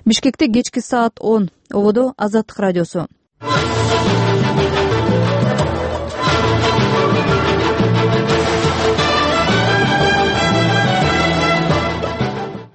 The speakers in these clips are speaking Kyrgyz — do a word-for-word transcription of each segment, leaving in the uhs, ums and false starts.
Бишкекте кечки саат он. Ободо Азаттык радиосу.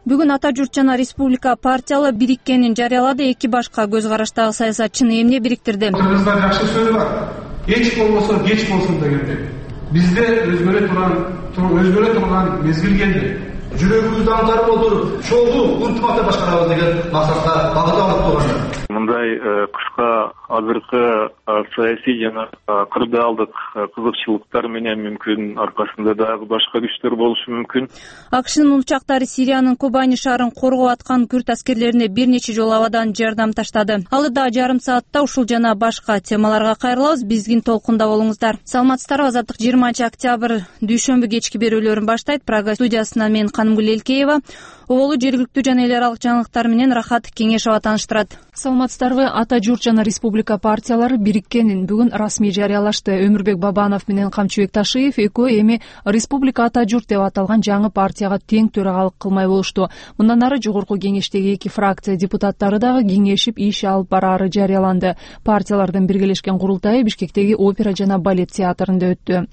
Бүгүн Ата журт жана Республика партиялар бириккенин жарыялады. Эки башка көз караштагы саясатчыны эмне бириктирди? Кыргызда жакшы сөз бар. Эч болбосо кеч болсун дегенде. Бизде өзгөрө турган, өзгөрө турган мезгил келди. Жүрөгүбүздү аңтарып отуруп, чогуу уртмакта башкарабыз деген максатка багытталып турган. Мындай кыска азыркы саясий жана кырдаалдык кызыкчылыктар менен мүмкүн аркасында дагы башка күчтөр болушу мүмкүн. АКШнын учактары Сириянын Кобани шаарын коргоп аткан күрд аскерлерине бир нече жолу абадан жардам таштады. Алда жарым саатта ушул жана башка темаларга кайрылабыз. Биздин толкунда болуңуздар. Саламатсыздарбы? Азаттык жыйырманчы октябрь дүйшөмбү кечки берүүлөрүн баштайт. Прага студиясынан мен Канымгүл Элкеева. Оболу жергиликтүү жана эл аралык жаңылыктар менен Рахат Кеңешова тааныштырат. Саламатсыздарбы? Ата журт жана Республика партиялары бириккенин бүгүн расмий жарыялашты. Өмүрбек Бабанов менен Камчыбек Ташиев экөө эми Республика Ата журт деп аталган жаңы партияга тең төрагалык кылмай болушту. Мындан ары жогорку кеңештеги эки фракция депутаттары дагы кеңешип иш алып бараары жарыяланды. Партиялардын биргелешкен курултайы Бишкектеги опера жана балет театрында өттү.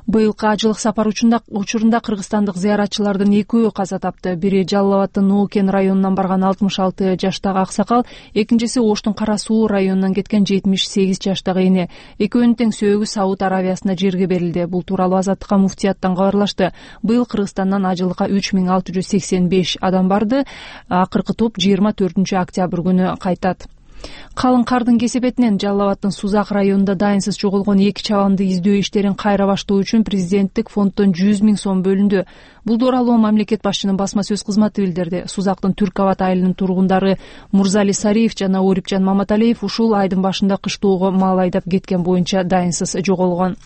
Быйылкы ажылык сапар учурунда кыргызстандык зыяратчылардын экөө каза тапты. Бири Жалал Абадтын Нуукен районунан барган алтымыш алты жаштагы аксакал, экинчиси Оштун Кара Суу районунан кеткен жетимиш сегиз жаштагы эне. Экөөнүн тең сөөгү Сауд Аравиясына жерге берилди. Бул тууралуу Азаттыкка муфтияттан кабарлашты. Быйыл Кыргызстандан ажылыкка үч миң алты жүз сексен беш адам барды. Акыркы топ жыйырма төртүнчү октябрь күнү кайтат. Калың кардын кесепетинен Жалал Абадтын Сузак районунда дайынсыз жоголгон эки чабанды издөө иштерин кайра баштоо үчүн президенттик фонддон жүз миң сом бөлүндү. Бул тууралуу мамлекет башчынын басма сөз кызматы билдирди. Сузактын Түрк Абад айылынын тургундары Мурзали Сариев жана Орипжан Маматалиев ушул айдын башында кыштоого мал айдап кеткен боюнча дайынсыз жоголгон.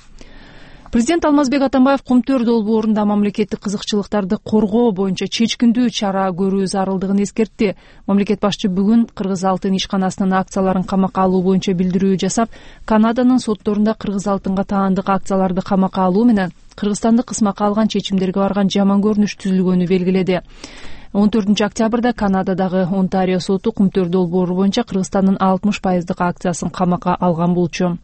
Президент Алмазбек Атамбаев Кумтөр долбоорунда мамлекеттик кызыкчылыктарды коргоо боюнча чечкиндүү чара көрүү зарылдыгын эскертти. Мамлекет башчы бүгүн Кыргыз алтын ишканасынын акцияларын камакка алуу боюнча билдирүү жасап, Канаданын сотторунда Кыргыз алтынга таандык акцияларды камакка алуу менен Кыргызстанды кысмакка алган чечимдерге барган жаман көрүнүш түзүлгөнү белгиледи. он төртүнчү октябрда Канададагы Онтарио соту Кумтөр долбоору боюнча Кыргызстандын алтымыш пайыздык акциясын камакка алган болчу.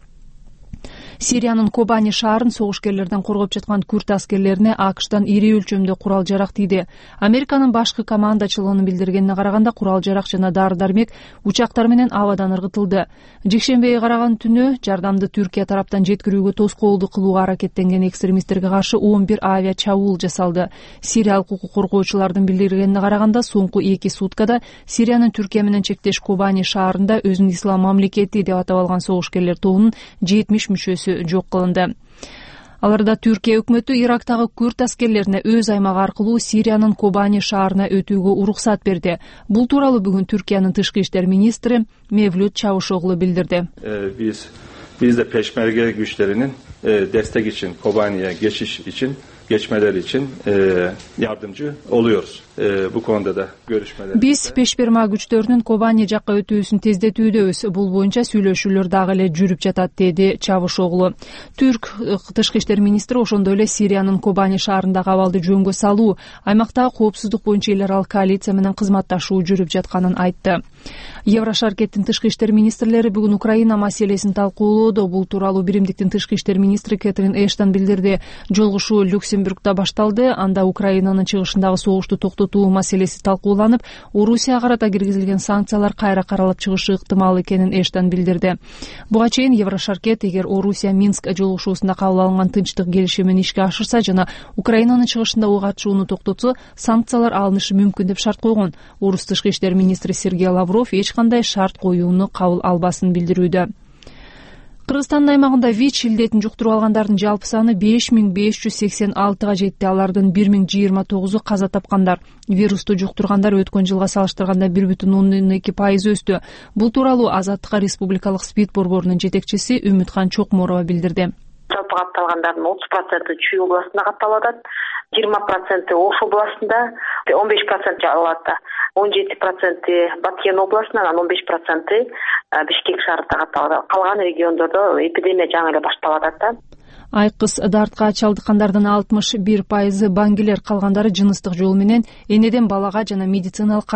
Сириянын Кобани шаарын согушкерлерден коргоп жаткан күрд аскерлерине АКШтан ири өлчөмдө курал жарак тийди. Американын башкы командачылыгынын билдиргенине караганда курал жарак жана дары-дармек учактар менен абадан ыргытылды. Жекшембиге караган түнү жардамды Түркия тараптан жеткирүүгө тоскоолдук кылууга аракеттенген экстремисттерге каршы он бир авиа чабуул жасалды. Сириялык укук коргоочулардын билдиргенине караганда соңку эки суткада Сириянын Түркия менен чектеш Кобани шаарында өзүн ислам мамлекети деп атап алган согушкерлер тобунун жетимиш мүчөсү жок кылынды. Аларда Түркия өкмөтү Ирактагы күрд аскерлерине өз аймагы аркылуу Сириянын Кобани шаарына өтүүгө уруксат берди. Бул тууралуу бүгүн Түркиянын тышкы иштер министри Мевлют Чавушоглу билдирди. Биз бизде пешмерге күчтөрүнүн дестек үчүн Кобанияга geçiş için geçmeleri için e, yardımcı oluyoruz. E, bu konuda da görüşmeler. Biz пешмерга күчтөрүнүн Кобани жакка өтүүсүн тездетүүдөбүз. Бул боюнча сүйлөшүүлөр дагы эле жүрүп жатат, деди Чавушоглу. Түрк тышкы иштер министри ошондой эле Сириянын Кобани шаарындагы абалды жөнгө салуу, аймактагы коопсуздук боюнча эл аралык коалиция менен кызматташуу жүрүп жатканын айтты. Еврошаркеттин тышкы иштер министрлери бүгүн Украина маселесин талкуулоодо. Бул тууралуу Биримдиктин тышкы иштер министри Кэтрин Эштон билдирди. Жолугушуу Люксембургда башталды. Анда Украинанын чыгышындагы согушту токтотуу маселеси талкууланып, Орусияга карата киргизилген санкциялар кайра каралып чыгышы ыктымал экенин Эштон билдирди. Буга чейин Еврошаркет эгер Орусия Минск жолугушуусунда кабыл алынган тынчтык келишимин ишке ашырса жана Украинанын чыгышында ок атышууну токтотсо, санкциялар алынышы мүмкүн деп шарт койгон. Орус тышкы иштер министри Сергей Лавров эч кандай шарт коюуну кабыл албасын билдирүүдө. Кыргызстандын аймагында ВИЧ илдетин жуктуруп алгандардын жалпы саны беш миң беш жүз сексен алтыга жетти. Алардын бир миң жыйырма тогузу каза тапкандар. Вирусту жуктургандар өткөн жылга салыштырганда бир бүтүн ондон эки пайыз өстү. Бул тууралуу Азаттыкка республикалык СПИД борборунун жетекчиси Үмүткан Чокморова билдирди. Жалпы катталгандардын отуз проценти Чүй областында катталып атат, жыйырма проценти Ош областында, он беш проценти Жалал Абадта, он жети проценти Баткен областынан, он беш проценти Бишкек шаарында катталып атат. Калган региондордо эпидемия жаңы эле башталып атат да. Айкыз дартка чалдыккандардын алтымыш бир пайызы баңгилер, калгандары жыныстык жол менен энеден балага жана медициналык